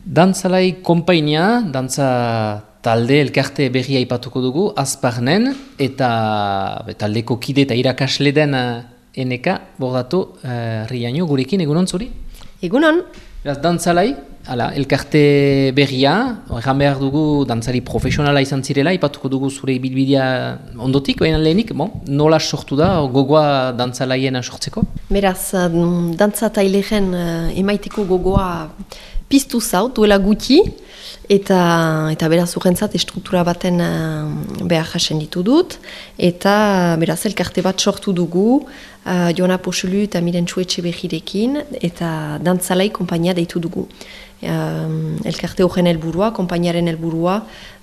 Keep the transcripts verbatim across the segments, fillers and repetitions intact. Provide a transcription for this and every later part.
Dantzalai konpainia, dantza talde elkarte berria aipatuko dugu, Azparnen, eta be, taldeko kide eta irakasle den uh, eneka, bordatu, uh, riaino, gurekin, egunon zuri? Egunon. Beraz, dantzalai, ala, elkarte berria, egan behar dugu dantzari profesionala izan zirela, aipatuko dugu zure ibilbidea ondotik, baina lehenik, bon, nola sortu da, gogoa dantzalaien sortzeko? Beraz, dantza tailegen uh, emaiteko gogoa piztu zaut, duela gutxi, eta, eta beraz urrentzat estruktura baten uh, behar jasen ditu dut, eta beraz elkarte bat sortu dugu, uh, Joana Poxulu eta Mirentxu Etxebegirekin, eta dantzalai konpainia deitu dugu. Uh, elkarte horren helburua, konpainiaren helburua,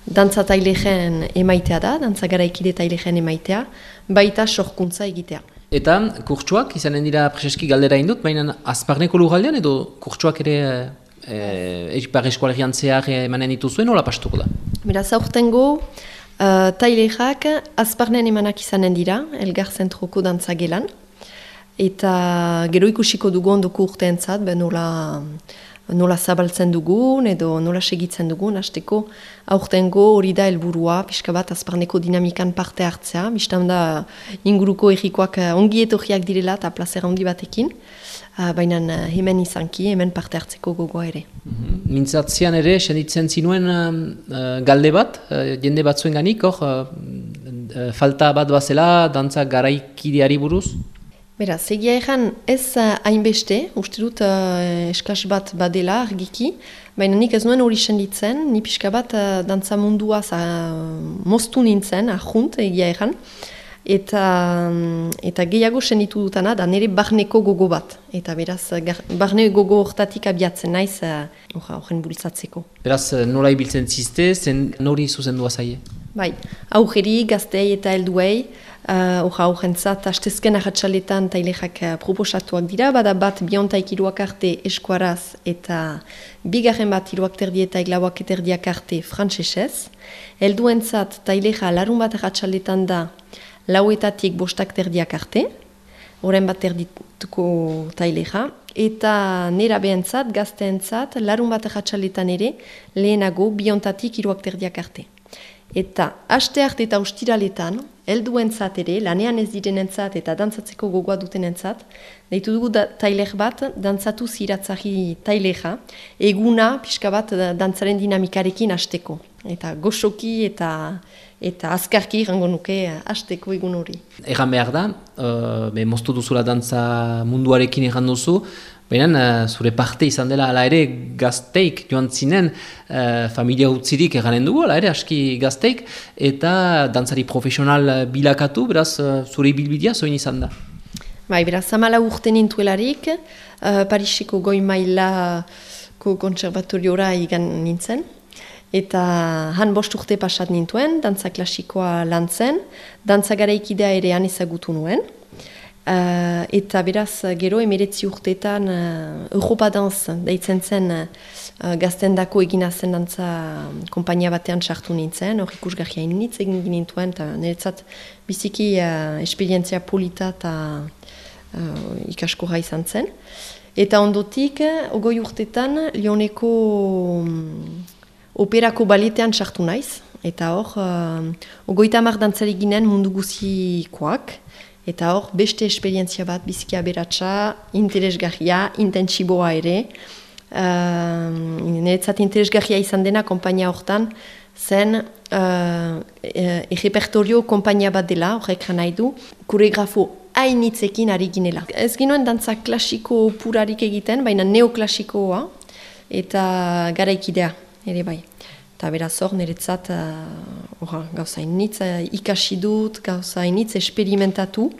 dantza tailegen emaitea da, dantza garaikide tailegen emaitea, baita sorkuntza egitea. Eta kurtsuak, izanen dira preseski galdera indut, baina Azparneko lurraldean edo kurtsuak ere Ipar Eskualerian zehar emanen dituzuen, nola pastuko da? Beraz, aurtengo uh, tailerak Azparnen emanak izanen dira, Elgar Zentroko dantzagelan, eta gero ikusiko dugu ondoko urteentzat, nola, nola zabaltzen dugun edo nola segitzen dugun, hasteko aurtengo hori da helburua, pixka bat Azparneko dinamikan parte hartzea, biztan da inguruko errikoak ongi etorriak direla eta plazera handi batekin, Uh, baina uh, hemen izanki, hemen parte hartzeko gogoa ere. Mm-hmm. Mintzatzean ere, senditzen zinuen uh, galde bat, uh, jende batzuen ganik, hor, uh, falta bat bazela, dantza garaikideari buruz? Beraz, egia egan ez uh, hainbeste, uste dut uh, eskas bat badela argiki, baina nik ez nuen hori senditzen, ni pixka bat uh, dantza mundua uh, moztu nintzen, ahunt egia egan, Eta, eta gehiago senditu dutana da nire barneko gogo bat. Eta beraz, gar, barne gogo hortatik abiatzen naiz horren bultzatzeko. Beraz, nola ibiltzen zizte, zen nori zuzendua zaie? Bai, aurreri, gaztei eta helduei, horra uh, horrentzat, hastezken ahatsaletan tailexak proposatuak dira, bada bat biontaik iruak arte eskuaraz eta bigarren bat iruak terdi eta eglauak eterdiak arte frantsesez. Helduentzat tailexa larun bat ahatsaletan da, lauetatik bostak terdiak arte, horren bat terdituko taileja, eta nera behentzat, gazteentzat, larun bat ahatsaletan ere, lehenago biontatik iruak terdiak arte. Eta aste arte eta ustiraletan, helduentzat ere, lanean ez direnentzat eta dantzatzeko gogoa dutenentzat, deitu dugu da, tailej bat, dantzatu ziratzari taileja, eguna pixka bat dantzaren dinamikarekin hasteko. Eta goxoki eta eta azkarki gango nuke hasteko egun hori. Egan behar da, uh, be, moztu duzula dantza munduarekin egan duzu, baina uh, zure parte izan dela ala ere gazteik joan zinen, uh, familia utzirik eganen dugu, ala ere aski gazteik, eta dantzari profesional bilakatu, beraz uh, zure ibilbidea zoin izan da. Bai, beraz, amala urte nintuelarik, uh, Pariseko goi mailako kontserbatoriora igan nintzen, eta han bost urte pasat nintuen, dantza klasikoa lan zen, dantza garaikidea ere han ezagutu nuen. Uh, eta beraz, gero emeretzi urteetan uh, Europa Danz deitzen zen uh, gaztendako egina zen dantza konpainia batean sartu nintzen, hor ikusgarria initz egin nintuen, eta niretzat biziki uh, esperientzia polita eta uh, ikaskorra izan zen. Eta ondotik, ogoi urteetan, Lioneko um, operako baletean sartu naiz, eta hor, uh, ogoita hamar dantzari ginen mundu guzikoak, eta hor, beste esperientzia bat, biziki aberatsa, interesgarria, intentsiboa ere. Uh, Niretzat interesgarria izan dena konpainia hortan, zen uh, errepertorio konpainia bat dela, horrek nahi du, koreografo hainitzekin ari ginela. Ez ginoen dantza klasiko purarik egiten, baina neoklasikoa, eta garaikidea. Ere bai. Eta beraz hor, niretzat uh, gauza initz uh, ikasi dut, gauza initz esperimentatu,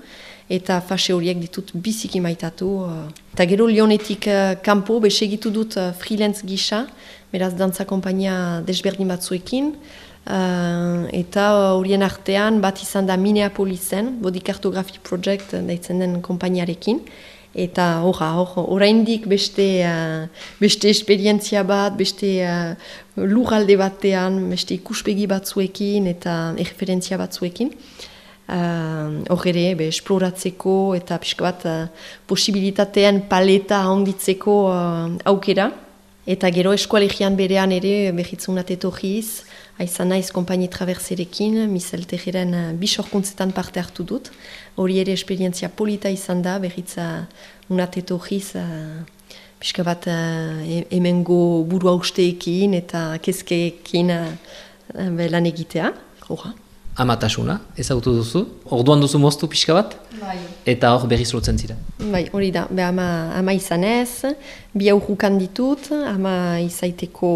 eta fase horiek ditut biziki maitatu. Uh. Eta gero Lionetik uh, kanpo, besegitu dut uh, freelance gisa, beraz dantza konpainia desberdin batzuekin, uh, eta horien artean bat izan da Minneapolisen, Body Cartography Project daitzen den konpainiarekin, eta horra, hor, oraindik beste, uh, beste esperientzia bat, beste uh, lurralde batean, beste ikuspegi batzuekin eta erreferentzia batzuekin. Hor uh, ere, be, esploratzeko eta pixka bat uh, posibilitatean paleta handitzeko uh, aukera. Eta gero eskualegian berean ere behitzunat etorriz, aizan naiz kompainie traverserekin, Michel Tejeren bisorkuntzetan parte hartu dut. Hori ere esperientzia polita izan da, behitza unat etorriz, uh, pixka bat uh, hemengo burua usteekin eta kezkeekin uh, lan egitea. Hora. Amatasuna, ezagutu duzu, orduan duzu moztu pixka bat, bai. Eta hor berriz lotzen zira. Bai, hori da, be ama, ama izanez, bi aurrukan ditut, ama izaiteko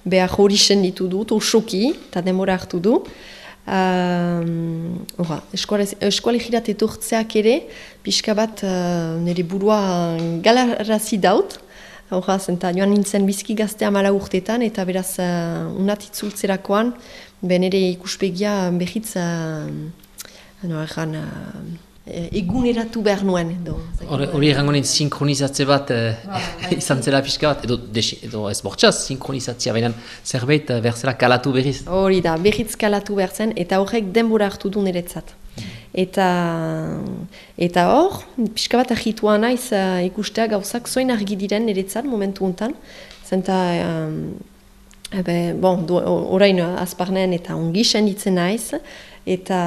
behar hori sen ditu dut, osoki, eta demora hartu du. Um, Hora, eskualegirat etortzeak ere, pixka bat uh, nire burua galarazi daut, hora, zenta joan nintzen bizki gazte amala urtetan, eta beraz uh, unat itzultzerakoan, ben ere ikuspegia behitz uh, no, erran, uh, eguneratu behar nuen. Hori errango nint sinkronizatze bat uh, izan zela pixka bat, edo, desi, edo ez bortxaz sinkronizatzea, baina zerbait uh, berzela kalatu berriz. Hori da, berriz kalatu behar zen, eta horrek denbora hartu du niretzat. Eta eta hor, pixka bat ahitua naiz uh, ikustea gauzak zoin argi diren niretzat momentu hontan, zenta um, ebe, bon, du, orain azparnen eta ongi senditzen naiz, eta,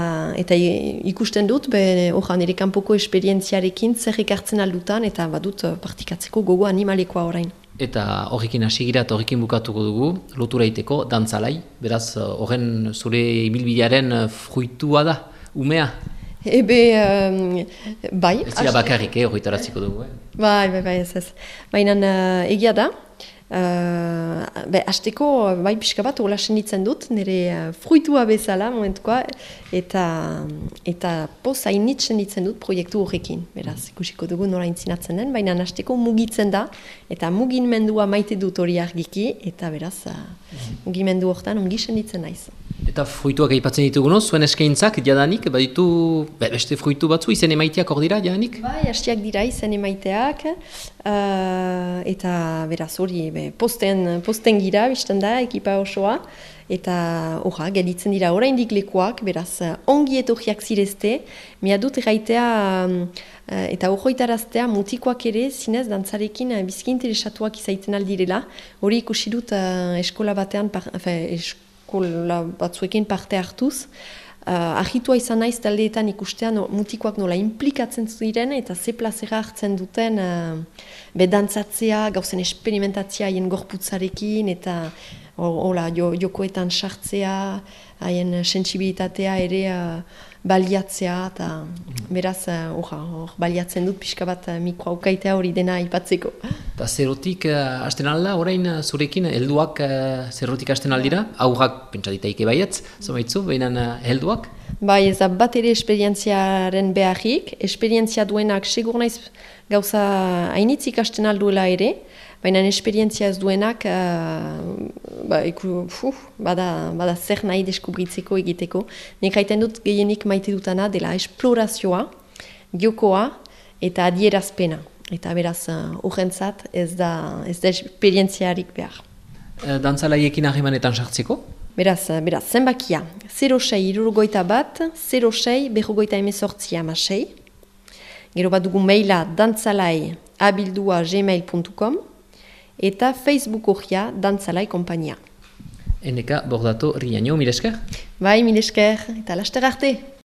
eta ikusten dut, hori nire kanpoko esperientziarekin zer ekartzen aldutan, eta badut partikatzeko gogo animalekoa orain. Eta horrekin hasi gira eta horrekin bukatuko dugu, lotura iteko, dantzalai, beraz horren zure ibilbidearen fruitua da, umea? Ebe, um, bai. Ez dira bakarrik, eh, horretaratziko dugu. Eh? Bai, bai, bai, ez ez. Baina uh, egia da, uh, be, hasteko, bai, pixka bat, hola senditzen dut, nire uh, fruitua bezala, momentukoa, eta, eta poz hainit senditzen dut proiektu horrekin. Beraz, ikusiko dugu nola intzinatzen den, baina hasteko mugitzen da, eta mugimendua maite dut hori argiki, eta beraz, uh, mugimendu horretan ongi senditzen naiz. Eta fruituak aipatzen dituguno, zuen eskaintzak jadanik, baditu be, beste fruitu batzu, izen emaiteak hor dira jadanik? Bai, hastiak dira izen emaiteak, uh, eta beraz hori be, posten, posten gira, bizten da, ekipa osoa, eta orra, gelditzen dira oraindik lekuak, beraz ongi etorriak zirezte, mia dut erraitea um, eta horroitaraztea mutikoak ere zinez dantzarekin uh, bizki interesatuak izaiten aldirela, hori ikusi dut uh, eskola batean, par, fe, eskola batzuekin parte hartuz, uh, ahitua izan naiz taldeetan ikustean no, mutikoak nola implikatzen ziren eta ze plazera hartzen duten uh, bedantzatzea, gauzen esperimentatzea haien gorputzarekin eta hola, jo, jokoetan sartzea, haien sentsibilitatea ere uh, baliatzea, eta beraz, uh, or, baliatzen dut pixka bat uh, mikroaukaitea hori dena aipatzeko. Eta zerrotik uh, hasten alda, orain uh, zurekin, helduak uh, zerrotik hasten aldira? Aurrak, pentsa ditaike baietz, zomaitzu, behinan uh, helduak? Bai, ez da bat ere esperientziaren beharrik, esperientzia duenak segur naiz gauza hainitzik hasten alduela ere, baina esperientzia ez duenak uh, ba, iku, fuh, bada, bada zer nahi deskubritzeko egiteko. Nik haiten dut gehienik maite dutana dela esplorazioa, jokoa eta adierazpena. Eta beraz, horrentzat uh, ez da, ez da esperientziarik behar. E, dantzalaiekin harremanetan sartzeko? Beraz, beraz zenbakia, zero sei hirurogeita bat, zero sei berrogeita hemezortzi hamasei. Gero bat dugu maila dantzalai abildua gmail puntu com eta Facebook horria dantzalai kompainia. Eneka bordato riaino, milesker? Bai, milesker, eta laster arte!